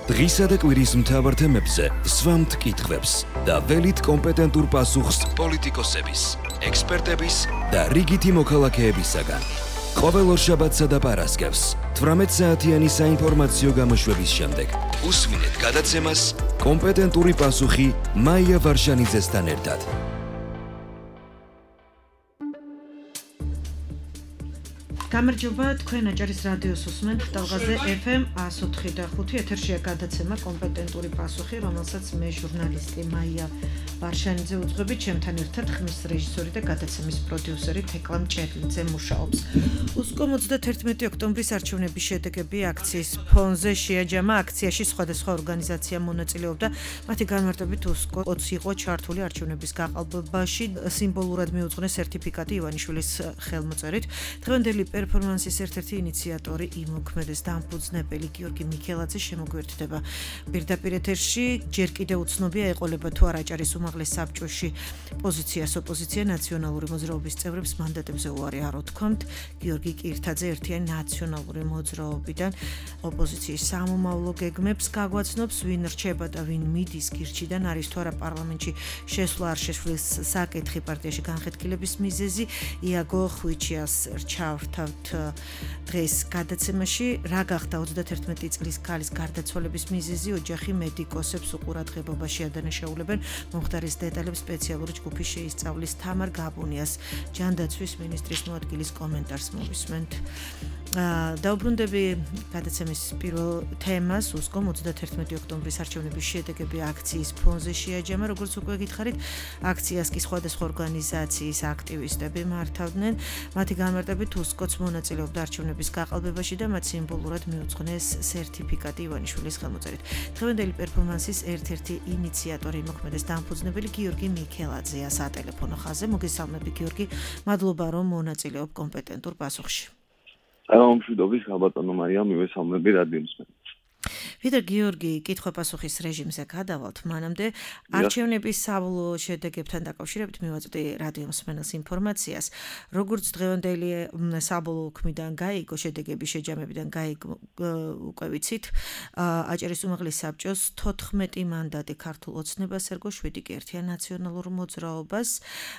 დღისა და კვირის მთავარ თემებზე სვამთ კითხვებს და ველით კომპეტენტურ პასუხს პოლიტიკოსების, ექსპერტების და რიგითი მოქალაქეებისაგან. ყოველ ორშაბათსა და პარასკევს 18 საათიანი საინფორმაციო გამოშვების შემდეგ უსმინეთ გადაცემას კომპეტენტური პასუხი მაია ვარშანიძესთან ერთად. გამარჯობა, თქვენ აჭარის რადიოს უსმენთ ტალღაზე FM 104.5 ეთერშია გადაცემა კომპეტენტური პასუხი, რომელსაც მე ჟურნალისტი მაია ვარშანიძე უძღვები, ჩემთან ერთად ხმის რეჟისორი და გადაცემის პროდიუსერი თეკლა მჭერლიძე მუშაობს. უსკომ 31 ოქტომბრის არჩევნების შედეგები აქციის ფონზე შეაჯამა. აქციაში სხვადასხვა ორგანიზაცია მონაწილეობდა, მათი განმარტებით უსკო 20 იყო ჩართული არჩევნების გაყალბებაში, სიმბოლურად მიუძღვნეს სერტიფიკატი ივანიშვილის ხელმოწერით. დღევანდელი პერფორმანსის ერთ-ერთი ინიციატორი იმოქმედეს დამფუძნებელი გიორგი მიქელაძე შემოგვერთდება პირდაპირ ეთერში. ჯერ კიდევ უცნობია ეყოლება თუ არ აჭარის უმაღლეს საბჭოში პოზიციას ოპოზიცია ნაციონალური მოძრაობის წევრებს მანდატებზე უარი არ უთქვამთ. გიორგი კირთაძე ერთიანი ნაციონალური მოძრაობიდან ოპოზიციის სამომავლო გეგმებს გაგვაცნობს, ვინ რჩება და ვინ მიდის გირჩიდან, არის თუ არა პარლამენტში შესვლა არ შესვლის საკითხი პარტიაში განხეთქილების მიზეზი. იაგო ხვიჩიას რჩავთ დღეს გადაცემაში რა გახდა 31 წლის ქალის გარდაცვალების მიზეზი, ოჯახი მედიკოსებს უყურადღებობაში ადანაშაულებენ. მომხდარის დეტალებს სპეციალური ჯგუფი შეისწავლის. თამარ გაბუნიას ჯანდაცვის მინისტრის მოადგილის კომენტარს მოვისმენთ. დაუბრუნდები გადაცემის პირველ თემას. უსკომ 31 ოქტომბრის არჩევნების შედეგები აქციის ფონზე შეაჯამა. როგორც უკვე გითხარით, აქციას კი სხვადასხვა ორგანიზაციის აქტივისტები მართავდნენ. მათი განმარტებით უსკოც მონაწილეობდა არჩევნების გაყალბებაში და მათ სიმბოლურად მიუძღვნეს სერტიფიკატი ივანიშვილის ხელმოწერით. დღევანდელი პერფორმანსის ერთ-ერთი ინიციატორი იმოქმედეს დამფუძნებელი გიორგი მიქელაძეა სატელეფონო ხაზზე. მოგესალმები გიორგი, მადლობა რომ მონაწილეობ კომპეტენტურ პასუხში. მშვიდობის, ხალბატონო მარია, მივესალმები რადიოს მსმენელს. ვიდრე გიორგი კითხვა-პასუხის რეჟიმზე გადავალთ, მანამდე არჩევნების საბოლოო შედეგებთან დაკავშირებით მივაწვდი რადიო მსმენელს ინფორმაციას. როგორც დღევანდელი საბოლოო ქმიდან გაიგო, შედეგების შეჯამებიდან გაიგო, უკვე ვიცით, აჭარის უმაღლეს საბჭოს 14 მანდატი ქართულ ოცნებას ერგო, 7 კი ერთიან ნაციონალურ მოძრაობას.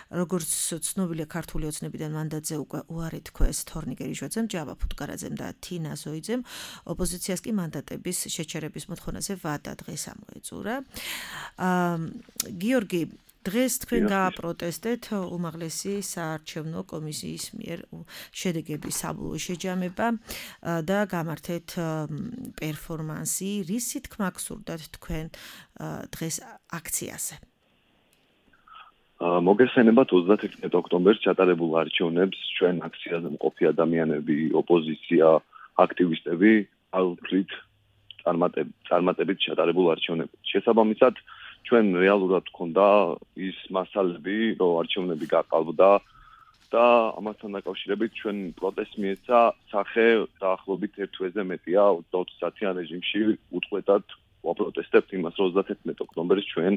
როგორც ცნობილია, ქართული ოცნებიდან მანდატზე უკვე უარი თქვეს თორნიკე რიშვაძემ, ჯავა ფუტკარაძემ და თინა ზოიძემ. ოპოზიციას კი მანდატების შეჩერების მოთხოვნაზე ვადა დღეს ამოეწურა. გიორგი, დღეს თქვენ გააპროტესტეთ უმაღლესი საარჩევნო კომისიის მიერ შედეგების საბოლოო შეჯამება და გამართეთ პერფორმანსი. რისი თქმა გსურდათ თქვენ დღეს აქციაზე? მოგესალმებათ 31 ოქტომბერს ჩატარებულ არჩევნებს ჩვენ აქციაზე მყოფი ადამიანები, ოპოზიცია, აქტივისტები ალფრით წარმატებით ჩატარებულ არჩევნებში. შესაბამისად, ჩვენ რეალურად გქონდა ის მასალები, რომ არჩევნები გაყალბდა და ამასთან დაკავშირებით ჩვენ პროტესტს მიეცა სახე დაახლოებით 1 თვეზე მეტია 20 საათიან რეჟიმში უწყვეტად ვაპროტესტებთ იმას, რომ 31 ოქტომბერს ჩვენ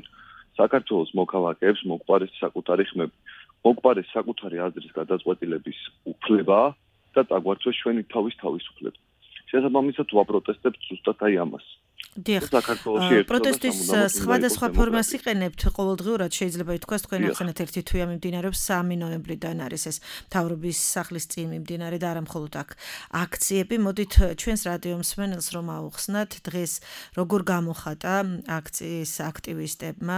საქართველოს მოქალაქეებს მოგვყარეს საკუთარი ხმები, მოგვყარეს საკუთარი აზრის გადაწყვეტილების უფლება და წაგვართვეს ჩვენი თავისუფლება. შესაბამისად ვაპროტესტებთ ზუსტად აი ამას. პროტესტის სხვადასხვა ფორმას იყენებთ ყოველდღიურად, შეიძლება ითქვას, თქვენ ახსენეთ ერთი თვეა მიმდინარეობს 3 ნოემბრიდან არის ეს მთავრობის სახლის წინ მიმდინარე და არა მხოლოდ აქ აქციები. მოდით ჩვენს რადიო მსმენელს რომ აუხსნათ, დღეს როგორ გამოხატა აქციის აქტივისტებმა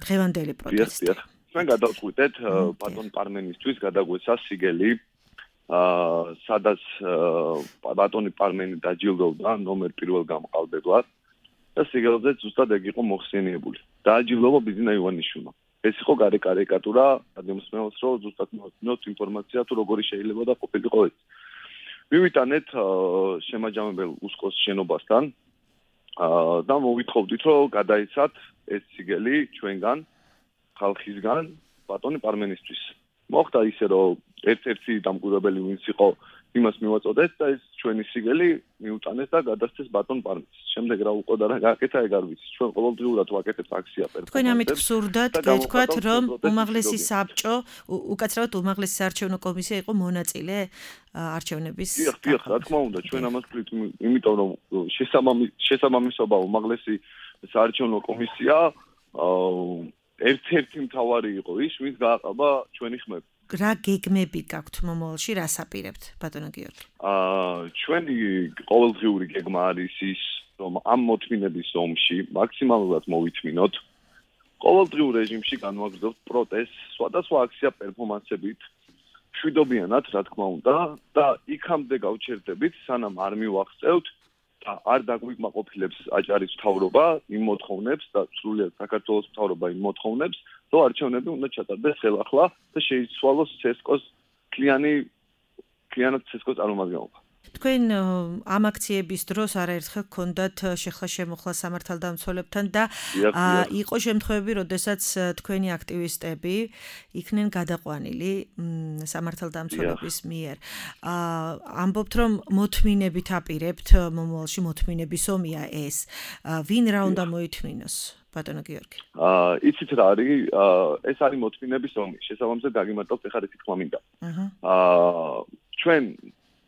დღევანდელი პროტესტი. ჩვენ გადავწყვიტეთ ბატონ პარმენისთვის გადაგვეცა სიგელი, სადაც ბატონი პარმენი დაჯილდოვდა ნომერ 1 გამყალბებლად და სიგელზე ზუსტად ეგ იყო მოხსენიებული. დააჯილდოვა ბიზნა ივანიშვილმა. ეს იყო კარიკატურა ადამიანს, რომ ზუსტად მოვწინოთ ინფორმაცია თუ როგორი შეიძლება და ყოფილიყო ეს. მივიტანეთ შემაჯამებელ უსკოს შენობასთან და მოვითხოვდით, რომ გადაიცათ ეს სიგელი ჩვენგან, ხალხისგან ბატონი პარმენისთვის. მოხდა ისე, რომ ერთ-ერთი დამკვირვებელი ვინც იყო იმას მივაწოდეთ და ეს ჩვენი სიგელი მიუტანეს და გადასცეს ბატონ პარმის. შემდეგ რა უყოდა რა გააკეთა ეგ არ ვიცი. ჩვენ ყოველდღიურად ვაკეთებთ აქცია პერფორმანსებს. თქვენ ამით ვსურდათ გეთქვათ, რომ უმაღლესი საბჭო, უკაცრავად უმაღლესი საარჩევნო კომისია იყო მონაწილე არჩევნების. დიახ, რა თქმა უნდა, ჩვენ ამას ვთვლით, იმიტომ რომ შესაბამისობა უმაღლესი საარჩევნო კომისია ერთ-ერთი მთავარი იყო ის, ვინც გააყობა ჩვენი ხმები. რა გეგმები გაქვთ მომავალში, რას აპირებთ, ბატონო გიორგი? ჩვენი ყოველდღიური გეგმა არის ის, რომ ამ მოთმინების ომში მაქსიმალურად მოვითმინოთ. ყოველდღიურ რეჟიმში განვაგრძელებთ პროტესტს, სხვადასხვა აქცია პერფორმანსებით, მშვიდობიანად, რა თქმა უნდა, და იქამდე გავჩერდებით, სანამ არ მივახცევთ და არ დაგვიკმაყოფილებს აჭარის მთავრობა იმ მოთხოვნებს და სრულიად საქართველოს მთავრობა იმ მოთხოვნებს, რომ არჩევნები უნდა ჩატარდეს ხელახლა და შეიცვალოს ცესკოს კლიანად ცესკოს წარმომადგენლობა. თქვენ ამ აქციების დროს არაერთხელ გქონდათ შეხლა-შემოხლა სამართალდამცველებთან და იყო შემთხვევები, როდესაც თქვენი აქტივისტები იქნენ გადაყვანილი სამართალდამცველების მიერ. ამბობთ, რომ მოთმინებით აპირებთ მომავალში მოთმინების ომია ეს. ვინ რა უნდა მოითმინოს? ბატონო გიორგი. იცით რა არის? ეს არის მოთმინების ომი. შესაბამისად დაგიმარტავთ ეხლა თქმა მინდა. ჩვენ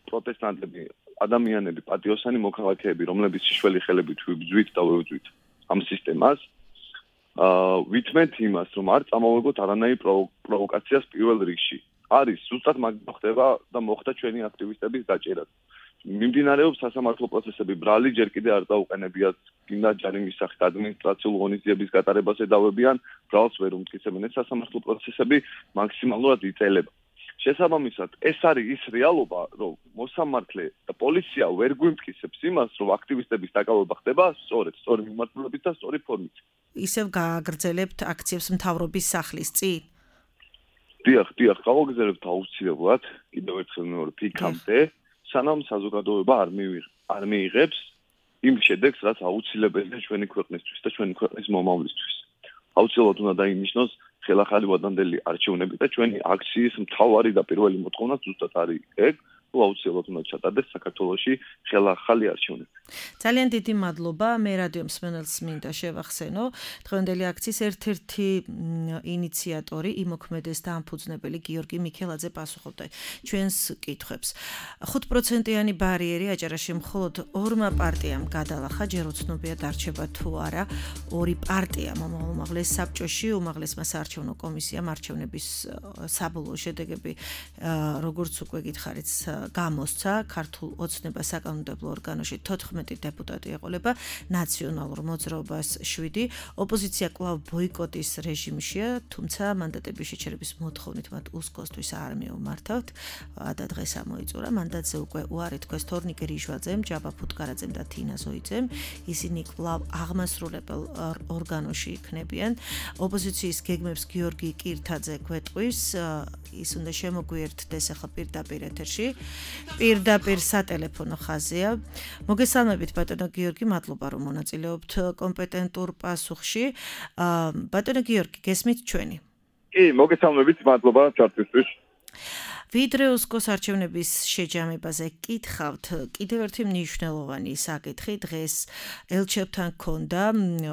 პროტესტანტები, ადამიანები, პატიოსანი მოქალაქეები, რომლებიც შიშველი ხელებით ვიბძვით და ვევძვით ამ სისტემას, ვითმენთ იმას, რომ არ წამოვეგოთ არანაირი პროვოკაციას პირველ რიგში. არის ზუსტად მაგ ხდება და მოხდა ჩვენი აქტივისტების დაჭერაც. მიმდინარეობს სასამართლო პროცესები, ბრალი ჯერ კიდე არ დაუყენებიათ, გინდა ჯარიმის სახით ადმინისტრაციულ ღონისძიების გატარებას ედავებიან, ბრალს ვერ უმტკიცებენ. ეს სასამართლო პროცესები მაქსიმალურად იწელება. შესაბამისად, ეს არის ის რეალობა, რომ მოსამართლე და პოლიცია ვერ გვიმტკიცებს იმას, რომ აქტივისტების დაკავება ხდება სწორი მიმართულებით და სწორი ფორმით. ისევ გააგრძელებთ აქციებს მთავრობის სახლის წინ? დიახ, გავაგრძელებთ აუცილებლად, კიდევ ერთხელ მეორე ფიქამდე, სანამ საზოგადოება არ მიიღებს იმ შედეგს, რაც აუცილებელია ჩვენი ქვეყნისთვის და ჩვენი ქვეყნის მომავლისთვის. აუცილებლად უნდა დაინიშნოს ხელახალი ვადანდელი არჩევნები და ჩვენი აქციის მთავარი და პირველი მოთხოვნა ზუსტად არის ეგ, რომ აუცილებლად უნდა ჩატარდეს საქართველოში ხელახალი არჩევნები. ძალიან დიდი მადლობა. მე რადიო მსმენელს მინდა შევახსენო, დღევანდელი აქციის ერთ-ერთი ინიციატორი, იმოქმედეს და ამფუძნებელი გიორგი მიქელაძე პასუხობდა ჩვენს კითხვებს. 5%-იანი ბარიერი აჭარაში მხოლოდ ორმა პარტიამ გადალახა, ჯერ უცნობია დარჩება თუ არა. ორი პარტია მომავალ უმაღლეს საბჭოში, უმაღლესმა საარჩევნო კომისიამ არჩევნების საბოლოო შედეგები, როგორც უკვე გითხარით, გამოსცა ქართულ ოცნება საკანონმდებლო ორგანოში 14 დეპუტატი ეყოლება, ნაციონალურ მოძრაობას 7, ოპოზიცია კვლავ ბოიკოტის რეჟიმშია, თუმცა მანდატების შეჩერების მოთხოვნით მათ უსკოსთვის არ მიუმართავთ და დღეს ამოიწურა. მანდატზე უკვე უარი თქვეს თორნიკე რიშვაძემ, ჯაბა ფუტკარაძემ და თინა ზოიძემ. ისინი კვლავ აღმასრულებელ ორგანოში იქნებიან. ოპოზიციის გეგმებს გიორგი კირთაძე გვეტყვის, ის უნდა შემოგვიერთდეს ახლა პირდაპირ ეთერში. პირდაპირ სატელეფონო ხაზია. მოგესალმებით ბატონო გიორგი, მადლობა რომ მონაწილეობთ კომპეტენტურ პასუხში. ბატონო გიორგი, გესმით ჩვენი? კი, მოგესალმებით, მადლობა ჩართვისთვის. ვიდრე უსკოს არჩევნების შეჯამებაზე გკითხავთ, კიდევ ერთი მნიშვნელოვანი საკითხი დღეს ელჩებთან ჰქონდა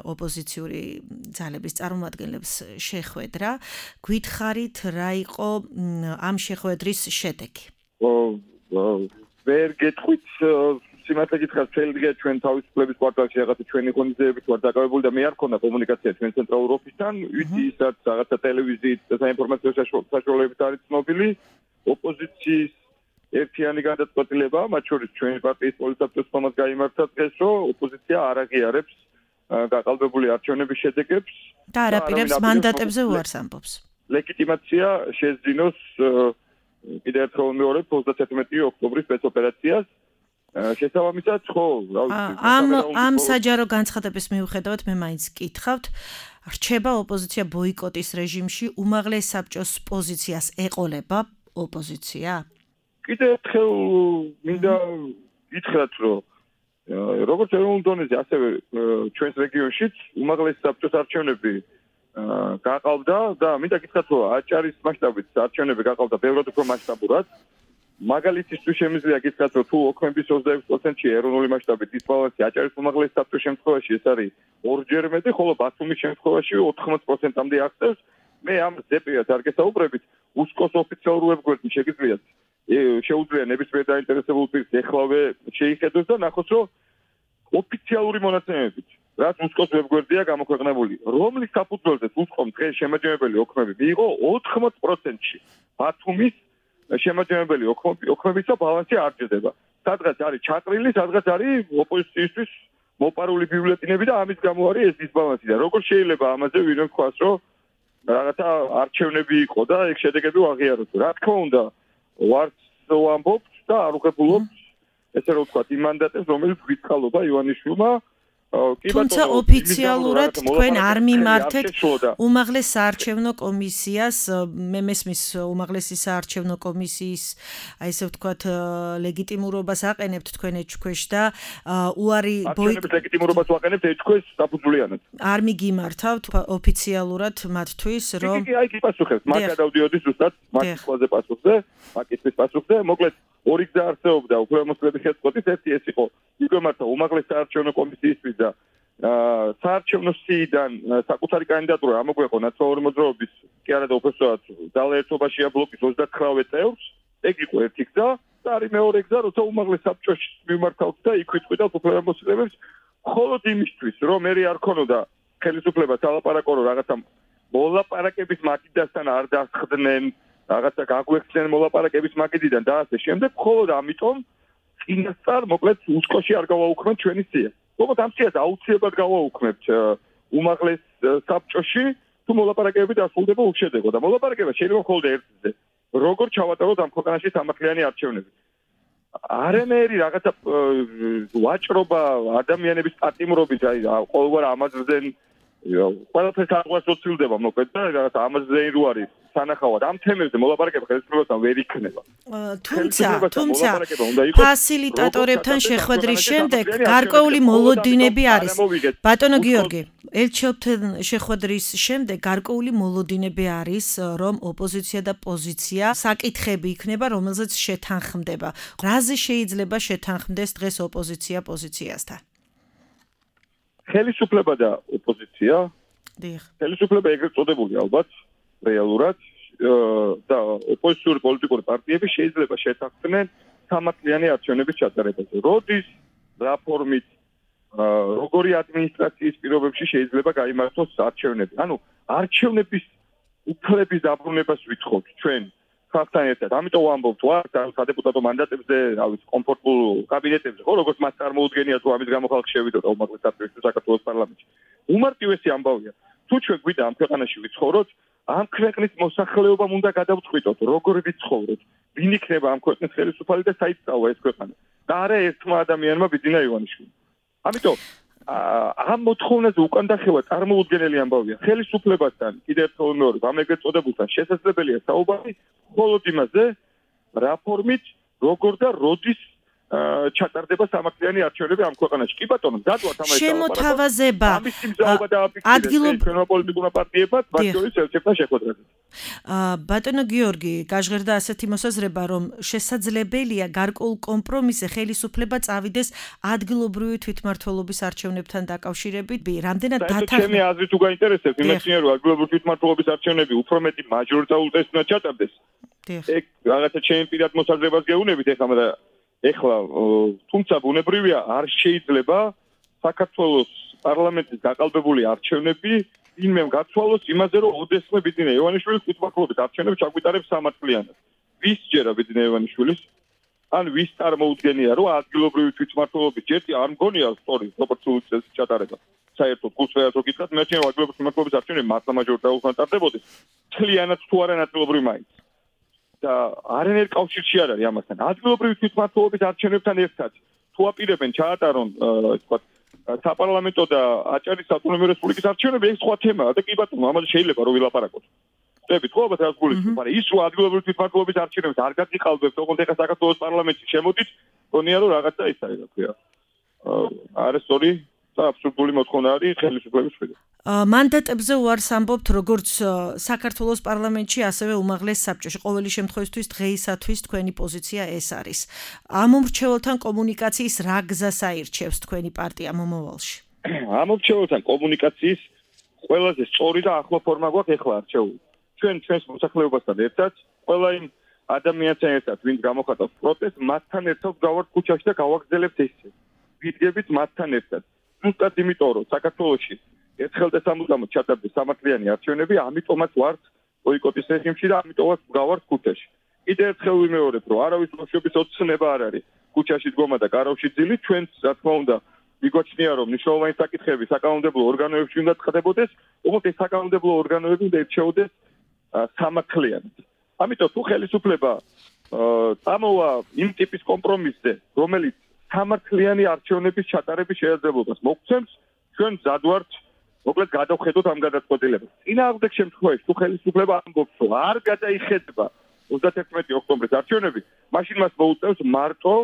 ოპოზიციური ძალების წარმომადგენლებს შეხვედრა. გვითხარით რა იყო ამ შეხვედრის შედეგი? ვერ გეტყვით, სიმართლე გითხრათ, შეიძლება ჩვენ თავისუფლების კვარტალში რაღაცა ჩვენი ღონისძიებით ვარ დაკავებული და მე არ მქონდა კომუნიკაცია ჩვენ ცენტრალურ ოფისთან, ვისაც რაღაცა ტელევიზიით და საინფორმაციო საშუალებებით არის ცნობილი. ოპოზიციის ერთიანი გადაწყვეტილება, მათ შორის ჩვენი პარტიის პოლიტსაბჭოს თომას გაიმართა დღეს, რომ ოპოზიცია არ აღიარებს გაყალბებული არჩევნების შედეგებს და არ აპირებს მანდატებზე უარს ამბობს. ლეგიტიმაცია შეძინოს კიდევ ერთხელ მეორებ 31 ოქტომბრის სპეცოპერაციას. შესაბამისად, ხო, ამ საჯარო განცხადების მიუხედავად მე მაინც გკითხავთ, რჩება ოპოზიცია ბოიკოტის რეჟიმში, უმაღლეს საბჭოს პოზიციას ეყოლება ოპოზიცია? კიდევ ერთხელ მინდა გითხრათ, რომ როგორც ეროვნულ დონეზე, ასევე ჩვენს რეგიონშიც უმაღლეს საბჭოს არჩევნები გაყალბდა და მინდა გითხრათ, რომ აჭარის მასშტაბით არჩევნები გაყალბდა ბევრად უფრო მასშტაბურად. მაგალითისთვის შემიძლია გითხრათ, რომ თუ ოქმების 26%-ში ეროვნული მასშტაბით დისბალანსი აჭარის უმაღლეს საბჭოს შემთხვევაში ეს არის ორჯერ მეტი, ხოლო ბათუმის შემთხვევაში 80%-მდე აღწევს. მე ამ ზეპირად არ გესაუბრებით, უსკოს ოფიციალურ ვებგვერდში შეუძლია ნებისმიერ დაინტერესებულ პირს ეხლავე შეიხედოს და ნახოს, რომ ოფიციალური მონაცემებით, რაც უსკოს ვებგვერდია გამოქვეყნებული, რომლის საფუძველზეც უსკომ დღეს შემაჯამებელი ოქმები მიიღო 80%-ში. ბათუმის შემაჯამებელი ოქმებისა ბალანსი არ ჯდება. სადღაც არის ჩაყრილი, სადღაც არის ოპოზიციისთვის მოპარული ბიულეტინები და ამის გამო არის ეს დისბალანსი და როგორ შეიძლება ამაზე ვინმე თქვას, რომ რაღაცა არჩევნები იყო და ეგ შედეგები აღიაროთ. რა თქმა უნდა, ვარც ვამბობთ და არ უღებულობთ ესე რომ ვთქვათ იმ მანდატებს, რომელიც გვიწყალობა ივანიშვილმა. თუმცა ოფიციალურად თქვენ არ მიმართეთ უმაღლეს საარჩევნო კომისიას, მე მესმის უმაღლესი საარჩევნო კომისიის, აი ესე ვთქვათ, ლეგიტიმურობას აყენებთ თქვენ ეჭქვეშ და უარი ლეგიტიმურობას ვაყენებთ ეჭქვეშ საფუძვლიანად. არ მიგიმართავთ ოფიციალურად მათთვის, რომ აი კი პასუხებს, მაგ გადავდიოდი ზუსტად მაგის ყველაზე პასუხზე, მაგის პასუხზე, მოკლედ ორი გზა არსებობდა უფლებამოსილების შეწყვეტის, ერთი ეს იყო იგვემართა უმაღლეს საარჩევნო კომისიისთვის და საარჩევნო სიიდან საკუთარი კანდიდატურა ამოგვეყო ნაციონალური მოძრაობის კი არა და უბრალოდ ძალაერთობაშია ბლოკის 39 წევრს, ეგ იყო ერთი გზა და არის მეორე გზა, როცა უმაღლეს საბჭოში მიმართავთ და იქ ვიტყვიდავთ უფლებამოსილებებს, მხოლოდ იმისთვის, რომ მე არ ქონოდა ხელისუფლება სალაპარაკო რომ რაღაცა მოლაპარაკების მაგიდასთან არ დასხდნენ, რაღაცა გაგვექცნენ მოლაპარაკების მაგიდიდან და ასე შემდეგ, მხოლოდ ამიტომ წინასწარ მოკლედ უსკოში არ გავაუქმებთ ჩვენი სია. როგორც ამ სიას აუცილებლად გავაუქმებთ უმაღლეს საბჭოში, თუ მოლაპარაკებები დასრულდება უშედეგო და მოლაპარაკება შეიძლება მხოლოდ ერთზე. როგორ ჩავატაროთ ამ ქვეყანაში სამართლიანი არჩევნები? არანაირი რაღაცა ვაჭრობა ადამიანების პატიმრობით, აი ყოველგვარ ამაზრდენ ყველაფერს აღყვას უცილდება მოკლედ და რაღაცა ამაზრდენი რო არის სანახავად ამ თემებზე მოლაპარაკება ხელისუფლებასთან ვერ იქნება. თუმცა ფასილიტატორებთან შეხვედრის შემდეგ გარკვეული მოლოდინები არის. ბატონო გიორგი, ელჩობთან შეხვედრის შემდეგ გარკვეული მოლოდინები არის, რომ ოპოზიცია და პოზიცია საკითხები იქნება, რომელზეც შეთანხმდება. რაზე შეიძლება შეთანხმდეს დღეს ოპოზიცია პოზიციასთან? ხელისუფლება და ოპოზიცია. დიახ. ხელისუფლება ეგრეთ წოდებული ალბათ რეალურად და ოპოზიციური პოლიტიკური პარტიები შეიძლება შეთანხმდნენ სამართლიანი არჩევნების ჩატარებაზე. როდის რა ფორმით როგორი ადმინისტრაციის პირობებში შეიძლება გაიმართოს არჩევნები? ანუ არჩევნების უფლების დაბრუნებას ვითხოვთ ჩვენ ხალხთან ერთად. ამიტომ ვამბობთ ვარ სადეპუტატო მანდატებზე, რავი, კომფორტულ კაბინეტებზე, ხო, როგორც მას წარმოუდგენია თუ ამის გამო ხალხი შევიდოდა უმაღლეს საბჭოში საქართველოს პარლამენტში. უმარტივესი ამბავია. თუ ჩვენ გვიდა ამ ქვეყანაში ვიცხოვროთ, ამ ქვეყნის მოსახლეობამ უნდა გადავწყვიტოთ, როგორ ვიცხოვროთ, ვინ იქნება ამ ქვეყნის ხელისუფალი და საერთოდ ეს ქვეყანა. და არა ერთმა ადამიანმა ბიძინა ივანიშვილი. ამიტომ ამ მოთხოვნაზე უკან დახევა წარმოუდგენელი ამბავია. ხელისუფლებასთან კიდევ ერთხელ ვიმეორებ, ამ ეგრეთ წოდებულთან შესაძლებელია საუბარი მხოლოდ იმაზე, რა ფორმით, როგორ და როდის ჩატარდება სამართლიანი არჩევნები ამ ქვეყანაში. კი ბატონო, მზადვართ ამაზე შემოთავაზება ადგილობრივ პოლიტიკურმა პარტიებმა მათ შორის ელჩებთან შეხვედრაზე. ბატონო გიორგი, გაჟღერდა ასეთი მოსაზრება, რომ შესაძლებელია გარკვეულ კომპრომისზე ხელისუფლება წავიდეს ადგილობრივი თვითმმართველობის არჩევნებთან დაკავშირებით. რამდენად ჩემი აზრით თუ გაინტერესებს, იმეცნია რომ ადგილობრივი თვითმმართველობის არჩევნები უფრო მეტი მაჟორიტარულ წესით უნდა ჩატარდეს. ეგ რაღაცა ჩემი პირად მოსაზრებას გეუბნებით ეხლა თუმცა ბუნებრივია არ შეიძლება საქართველოს პარლამენტის გაყალბებული არჩევნები ვინმემ გაცვალოს იმაზე რომ ოდესმე ბიძინა ივანიშვილის თვითმმართველობის არჩევნებს ჩაგვიტარებს სამართლიანად. ვის ჯერა ბიძინა ივანიშვილის? ან ვის წარმოუდგენია რომ ადგილობრივი თვითმმართველობის ჯერტი არ მგონია სწორი პროპორციული წესით ჩატარება. საერთოდ გულწრფელად რო გითხრათ, მე ჩემი ადგილობრივი თვითმმართველობის არჩევნები მართლა მაჟორიტარულად ტარდებოდეს. მთლიანად თუ არა ნაწილობრივ მაინც. და არანაირ კავშირში არ არის ამასთან. ადგილობრივი თვითმმართველობის არჩევნებთან ერთად თუ აპირებენ ჩაატარონ, თქვა, საპარლამენტო და აჭარის ავტონომიური რესპუბლიკის არჩევნები, ეს სხვა თემაა და კი ბატონო, ამაზე შეიძლება რომ ვილაპარაკოთ. ხდებით ხო, ალბათ რაც გულისხმობ, მაგრამ ის რომ ადგილობრივი თვითმმართველობის არჩევნებს არ გაგიყალბებთ, ოღონდ ეხა საქართველოს პარლამენტში შემოდით, გონია რომ რაღაცა ის არის, რა ქვია. არა სწორი და აბსურდული მოთხოვნა არის ხელისუფლების მხრიდან. მანდატებზე უარს ამბობთ როგორც საქართველოს პარლამენტში, ასევე უმაღლეს საბჭოში. ყოველი შემთხვევისთვის დღეისათვის თქვენი პოზიცია ეს არის. ამ მომრჩეველთან კომუნიკაციის რა გზას აირჩევს თქვენი პარტია მომავალში? ამ მომრჩეველთან კომუნიკაციის ყველაზე სწორი და ახლო ფორმა გვაქვს ეხლა არჩეული. ჩვენს მოსახლეობასთან ერთად, ყველა იმ ადამიანთან ერთად, ვინც გამოხატავს პროტესტს, მათთან ერთად გავართ ქუჩაში და გავაგრძელებთ ესე. ვიდგებით მათთან ერთად. ზუსტად იმიტომ, რომ საქართველოში ერთხელ და სამუდამოდ ჩატარდეს სამართლიანი არჩევნები, ამიტომაც ვართ ბოიკოტის რეჟიმში და ამიტომაც გავართ ქუჩაში. კიდევ ერთხელ ვიმეორებ, რომ არავის ბავშვების ოცნება არ არის ქუჩაში დგომა და კარავში ძილი, ჩვენც რა თქმა უნდა მიგვაჩნია, რომ მნიშვნელოვანი საკითხები საკანონმდებლო ორგანოებში უნდა ცხადებოდეს, უბრალოდ ეს საკანონმდებლო ორგანოები უნდა ირჩეოდეს სამართლიანად. ამიტომ თუ ხელისუფლება წამოვა იმ ტიპის კომპრომისზე, რომელიც სამართლიანი არჩევნების ჩატარების შესაძლებლობას მოგცემს, ჩვენ მზად ვართ მოკლედ გადავხედოთ ამ გადაწყვეტილებას. წინააღმდეგ შემთხვევაში თუ ხელისუფლება ამბობს, რომ არ გადაიხედება 31 ოქტომბრის არჩევნები, მაშინ მას მოუწევს მარტო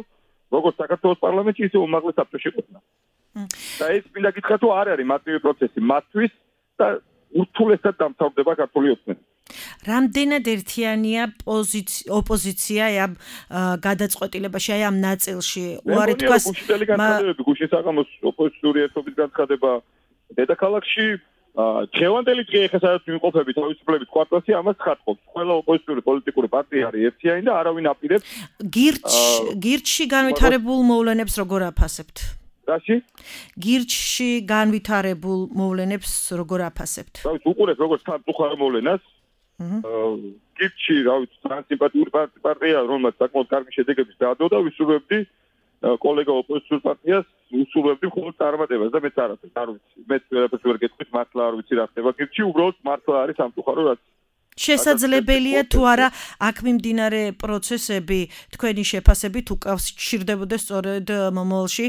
როგორც საქართველოს პარლამენტში, ისე უმაღლეს საბჭოში ყოფნა. და ეს მინდა გითხრათ, რომ არ არის მარტივი პროცესი მათთვის და ურთულესად დამთავრდება ქართული ოცნება. რამდენად ერთიანია ოპოზიცია ამ გადაწყვეტილებაში, აი ამ ნაწილში? უარი თქვას გუშინდელი განცხადებები, გუშინ საღამოს ოპოზიციური ერთობის განცხადება დედაქალაქში, დღევანდელი დღე ეხლა სადაც ვიმყოფებით თავისუფლების კვარტალში, ამას ხატყობს. ყველა ოპოზიციური პოლიტიკური პარტია არის ერთიანი და არავინ აპირებს გირჩში განვითარებულ მოვლენებს როგორ აფასებთ? რაში? გირჩში განვითარებულ მოვლენებს როგორ აფასებთ? რა ვიცი, უყურეთ როგორც სამწუხარო მოვლენას. გირჩში, რა ვიცი, ტრანსიმპათიური პარტია, რომელმაც საკმაოდ კარგი შედეგები დაადო და ვისურვებდი კოლეგა ოპოზიციურ პარტიას უსურვებდი მხოლოდ წარმატებას და მეც არაფერს არ ვიცი. მეც ვერაფერს ვერ გეტყვით, მართლა არ ვიცი რა ხდება გირჩში, უბრალოდ მართლა არის სამწუხარო რაც შესაძლებელია თუ არა აქ მიმდინარე პროცესები თქვენი შეფასებით უკავშირდებოდეს სწორედ მომავალში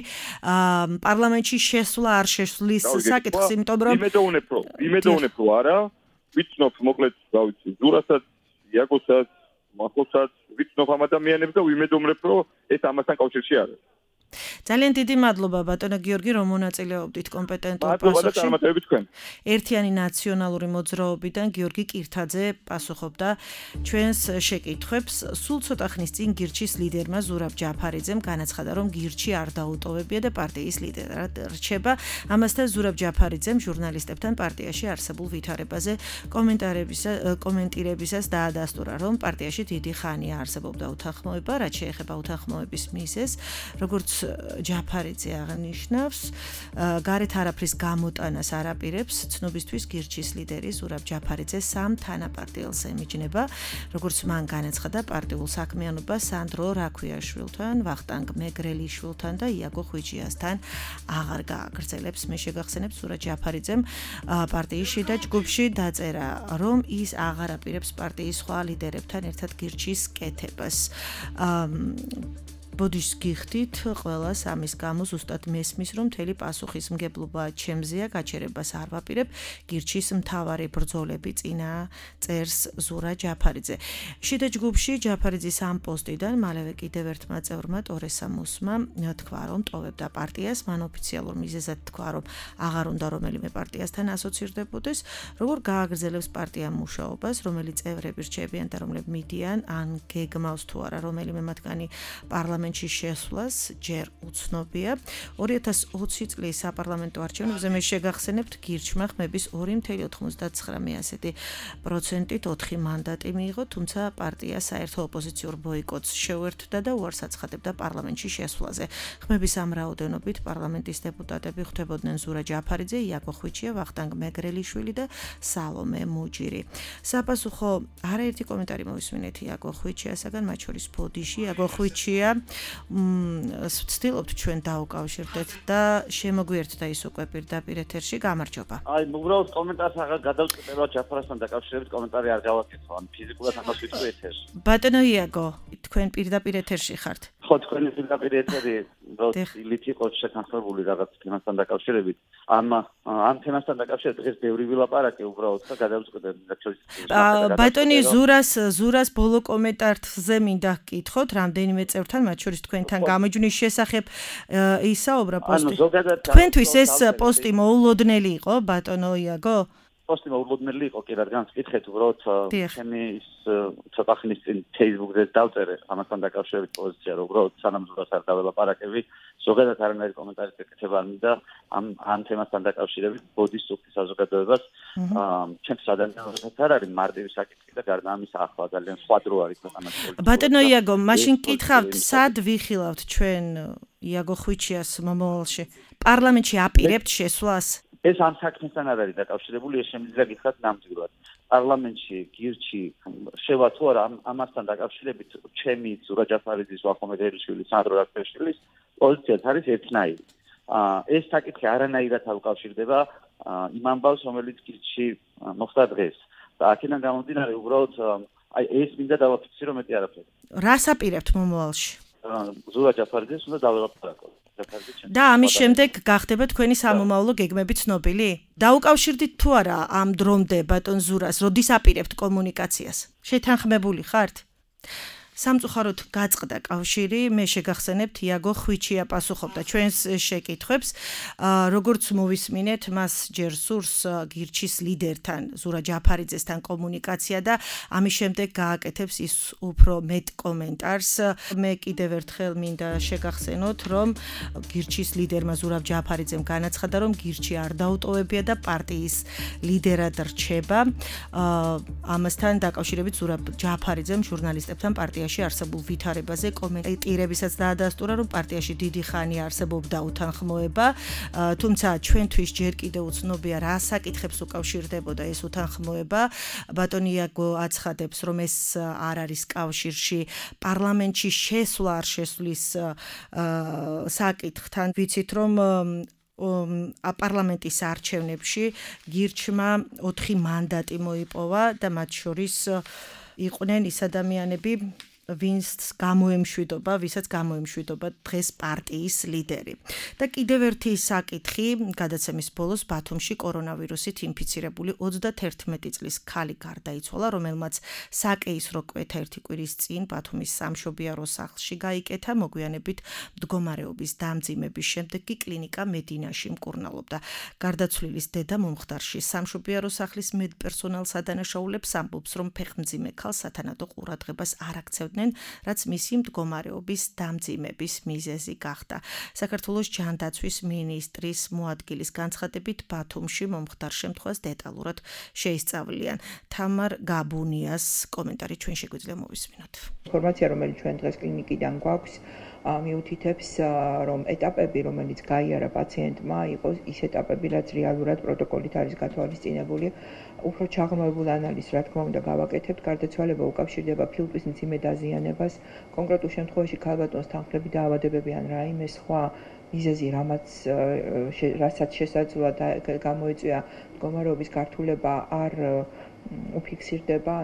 პარლამენტში შესვლა არ შესვლის საკითხს, იმიტომ რომ იმედოვნებ რომ არა, ვიცნობ მოკლედ, რა ვიცი, ზურასაც, იაკოსაც, მახოსაც, ვიცნობ ამ ადამიანებს და ვიმედოვნებ რომ ეს ამასთან კავშირში არის. ძალიან დიდი მადლობა ბატონო გიორგი, რომ მონაწილეობდით კომპეტენტურ პასუხში. ერთიანი ნაციონალური მოძრაობიდან გიორგი კირთაძე პასუხობდა ჩვენს შეკითხვებს. სულ ცოტა ხნის წინ გირჩის ლიდერმა ზურაბ ჯაფარიძემ განაცხადა, რომ გირჩი არ დაუტოვებია და პარტიის ლიდერად რჩება. ამასთან ზურაბ ჯაფარიძემ ჟურნალისტებთან პარტიაში არსებულ ვითარებაზე კომენტირებისას დაადასტურა, რომ პარტიაში დიდი ხანია არსებობდა უთანხმოება, რაც შეეხება უთანხმოების მიზეზს, როგორც ჯაფარიძე აღნიშნავს, გარეთ არაფრის გამოტანას არ აპირებს. ცნობისთვის გირჩის ლიდერი ზურაბ ჯაფარიძე სამ თანაპარტიელს ემიჯნება, როგორც მან განაცხადა, პარტიულ საქმიანობას სანდრო რაქვიაშვილთან, ვახტანგ მეგრელიშვილთან და იაგო ხვიჩიასთან აღარ გააგრძელებს. მე შეგახსენებ, ზურაბ ჯაფარიძემ პარტიის შიდა ჯგუფში დაწერა, რომ ის აღარ აპირებს პარტიის სხვა ლიდერებთან ერთად გირჩის კეთებას. ბოდიშს გიხდით ყველას ამის გამო ზუსტად მესმის, რომ მთელი პასუხისმგებლობა ჩემზეა, გაჩერებას არ ვაპირებ. გირჩის მთავარი ბრძოლები წინა წერს ზურაბ ჯაფარიძე. შიდა ჯგუფში ჯაფარიძის ამ პოსტიდან მალევე კიდევ ერთმა წევრმა ტორესამოსმა თქვა, რომ ტოვებდა პარტიას, მან ოფიციალურ მიზეზად თქვა, რომ აღარ უნდა რომელიმე პარტიასთან ასოცირდებოდეს, როგორ გააგრძელებს პარტია მუშაობას, რომელი წევრები რჩებიან და რომლები მიდიან, ან გეგმავს თუ არა რომელიმე მათგანი პარლამენტში შესვლას, ჯერ უცნობია. 2020 წლის საპარლამენტო არჩევნებზე მე შეგახსენებთ, გირჩმა ხმების 2.91%-ით 4 მანდატი მიიღო, თუმცა პარტია საერთო ოპოზიციურ ბოიკოტს შეუერთდა და უარს აცხადებდა პარლამენტში შესვლაზე. ხმების ამ რაოდენობით პარლამენტის დეპუტატები ხვდებოდნენ ზურაბ ჯაფარიძე, იაკო ხვიჩია, ვახტანგ მეგრელიშვილი და სალომე მუჯირი. საპასუხო არაერთი კომენტარი მოვისმინეთ იაკო ხვიჩიასაგან, მათ შორის ბოდიში. იაკო ხვიჩია ვცდილობთ ჩვენ დაუკავშირდეთ და შემოგვიერთდა ის უკვე პირდაპირ ეთერში. გამარჯობა. აი, უბრალოდ კომენტარს აღარ გადავწყვეტებია ჯაფარასთან დაკავშირებით კომენტარი არ გავაკეთო, ან ფიზიკურად ამას ვიტყვი ეთერში. ბატონო იაგო, თქვენ პირდაპირ ეთერში ხართ. ხო, თქვენი პირდაპირ ეთერი როდილით იყოს შეთანხმებული რაღაც თემასთან დაკავშირებით. ამ თემასთან დაკავშირებით დღეს ბევრი ვილაპარაკე უბრალოდ და გადავწყვეტე ბატონი ზურას ბოლო კომენტარზე მინდა გკითხოთ რამდენიმე წევრთან, მათ შორის თქვენთან გამოჯვნის შესახებ ისაუბრა პოსტი. თქვენთვის ეს პოსტი მოულოდნელი იყო, ბატონო იაგო? პოსტი მოულოდნელი იყო, კი რადგან გკითხეთ უბრალოდ ჩემი ის ცოტა ხნის წინ Facebook-ზე დავწერე ამასთან დაკავშირებით პოზიცია, რომ უბრალოდ სანამ ზურას არ დაველაპარაკები, ზოგადად არანაირი კომენტარის გაკეთება არ მინდა ამ თემასთან დაკავშირებით ბოდის სუქის საზოგადოებას. ჩემს ადამიანებსაც არ არის მარტივი საკითხი და გარდა ამისა ახლა ძალიან სხვა დრო არის ქვეყანაში. ბატონო იაგო, მაშინ გკითხავთ, სად ვიხილავთ ჩვენ იაგო ხვიჩიას მომავალში? პარლამენტში აპირებთ შესვლას? ეს ამ საქმესთან არ არის დაკავშირებული, ეს შემიძლია გითხრათ ნამდვილად. პარლამენტში, გირჩი შევა თუ არა ამასთან დაკავშირებით ჩემი ზურა ჯაფარიძის, ვახომედ ერიშვილის, სანდრო რაკაშვილის პოზიციაც არის ერთნაირი. ეს საკითხი არანაირად არ უკავშირდება იმ ამბავს, რომელიც გირჩი მოხდა დღეს. და აქედან გამომდინარე, უბრალოდ ეს მინდა დავაფიქსირო, მეტი არაფერი. რას აპირებთ მომავალში? ზურა ჯაფარიძეს უნდა დაველაპარაკოთ. და ამის შემდეგ გახდება თქვენი სამომავლო გეგმები ცნობილი? დაუკავშირდით თუ არა ამ დრომდე ბატონ ზურას, როდის აპირებთ კომუნიკაციას? შეთანხმებული ხართ? სამწუხაროდ გაწყდა კავშირი, მე შეგახსენებთ იაგო ხვიჩია პასუხობდა ჩვენს შეკითხვებს, როგორც მოვისმინეთ, მას ჯერ სურს გირჩის ლიდერთან, ზურა ჯაფარიძესთან კომუნიკაცია და ამის შემდეგ გააკეთებს ის უფრო მეტ კომენტარს. მე კიდევ ერთხელ მინდა შეგახსენოთ, რომ გირჩის ლიდერმა ზურა ჯაფარიძემ განაცხადა, რომ გირჩი არ დაუტოვებია და პარტიის ლიდერად რჩება. ამასთან დაკავშირებით ზურა ჯაფარიძემ ჟურნალისტებთან პარტიაში არსებულ ვითარებაზე კომენტირებისაც დაადასტურა, რომ პარტიაში დიდი ხანია არსებობდა უთანხმოება, თუმცა ჩვენთვის ჯერ კიდევ უცნობია რა საკითხებს უკავშირდებოდა ეს უთანხმოება. ბატონი იაგო აცხადებს, რომ ეს არ არის კავშირში პარლამენტში შესვლა არ შესვლის საკითხთან. ვიცით, რომ პარლამენტის არჩევნებში გირჩმა 4 მანდატი მოიპოვა და მათ შორის იყვნენ ის ადამიანები, ვისაც გამოემშვიდობა დღეს პარტიის ლიდერი. და კიდევ ერთი საკითხი, გადაცემის ბოლოს ბათუმში კორონავირუსით ინფიცირებული 31 წლის ქალი გარდაიცვალა, რომელმაც საკეისრო კვეთა 1 კვირის წინ ბათუმის სამშობიარო სახლში გაიკეთა, მოგვიანებით მდგომარეობის დამძიმების შემდეგ კი კლინიკა მედინაში მკურნალობდა. გარდაცვლილის დედა მომხდარში სამშობიარო სახლის მედპერსონალს ადანაშაულებს, ამბობს, რომ ფეხმძიმე ქალს სათანადო ყურადღებას არ აქცევდნენ, რაც მისი მდგომარეობის დამძიმების მიზეზი გახდა. საქართველოს ჯანდაცვის მინისტრის მოადგილის განცხადებით ბათუმში მომხდარ შემთხვევას დეტალურად შეისწავლიან. თამარ გაბუნიას კომენტარი ჩვენ შეგვიძლია მოვისმინოთ. ინფორმაცია, რომელიც ჩვენ დღეს კლინიკიდან გვაქვს, მიუთითებს, რომ ეტაპები, რომელიც გაიარა პაციენტმა, იყოს ის ეტაპები, რაც რეალურად პროტოკოლით არის გათვალისწინებული. უფრო ჩაღრმავებულ ანალიზს, რა თქმა უნდა, გავაკეთებთ. გარდაცვალება უკავშირდება ფილტვის მძიმე დაზიანებას. კონკრეტულ შემთხვევაში ქალბატონს თანხლები დაავადებები ან რაიმე სხვა მიზეზი, რასაც შესაძლოა გამოიწვია მდგომარეობის გართულება, არ უფიქსირდება.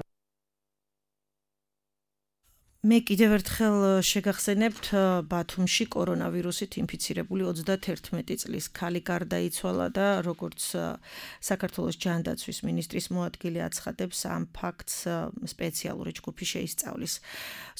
მე კიდევ ერთხელ შეგახსენებთ, ბათუმში კორონავირუსით ინფიცირებული 31 წლის ქალი გარდაიცვალა და როგორც საქართველოს ჯანდაცვის მინისტრის მოადგილე აცხადებს, ამ ფაქტს სპეციალური ჯგუფი შეისწავლის.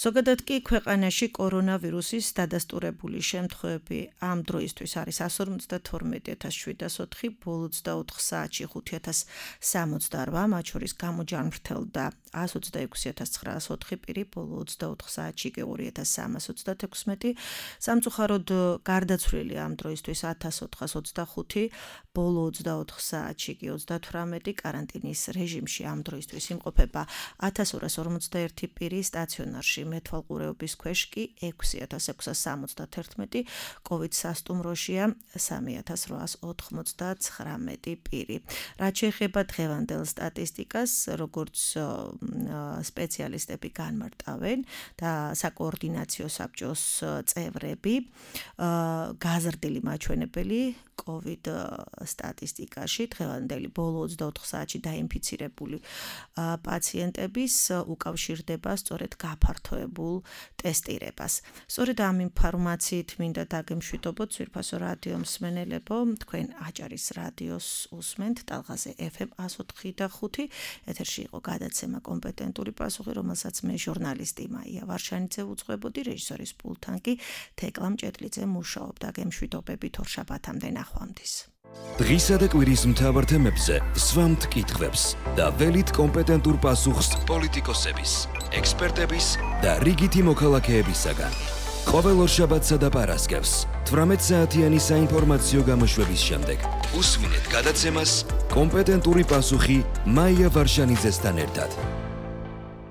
ზოგადად კი ქვეყანაში კორონავირუსის დადასტურებული შემთხვევები ამ დროისთვის არის 152.704, ბოლო 24 საათში 5.068, მათ შორის გამოჯანმრთელდა 126.904 პირი, ბოლო 24 საათში კი 2.316. სამწუხაროდ გარდაცვლილი ამ დროისთვის 1.425, ბოლო 24 საათში კი 38, კარანტინის რეჟიმში ამ დროისთვის იმყოფება 1.241 პირი, სტაციონარში მეთვალყურეობის ქვეშ კი 6.671, COVID სასტუმროშია 3.899 პირი. რაც შეეხება დღევანდელ სტატისტიკას, როგორც სპეციალისტები განმარტავენ, და საკოორდინაციო საბჭოს წევრები. გაზრდილი მაჩვენებელი COVID სტატისტიკაში დღევანდელი ბოლო 24 საათში დაინფიცირებული პაციენტების უკავშირდება სწორედ გაფართოებულ ტესტირებას. სწორედ ამ ინფორმაციით მინდა დაგემშვიდობოთ ძვირფასო რადიო მსმენელებო, თქვენ აჭარის რადიოს უსმენთ ტალღაზე FM 104.5. ეთერში იყო გადაცემა კომპეტენტური პასუხი, რომელსაც მე ჟურნალისტი მაია ვარშანიძე უძღვებოდი, რეჟისორის პულტთან კი თეკლა მჭედლიძე მუშაობდა. გემშვიდობებით ორშაბათამდე ნახვამდის. დღისა და კვირის მთავარ თემებზე სვამთ კითხვებს და ველით კომპეტენტურ პასუხს პოლიტიკოსების, ექსპერტების და რიგითი მოქალაქეებისაგან. ყოველ ორშაბათსა და პარასკევს 18 საათიანი საინფორმაციო გამოშვების შემდეგ უსმინეთ გადაცემას კომპეტენტური პასუხი მაია ვარშანიძესთან ერთად.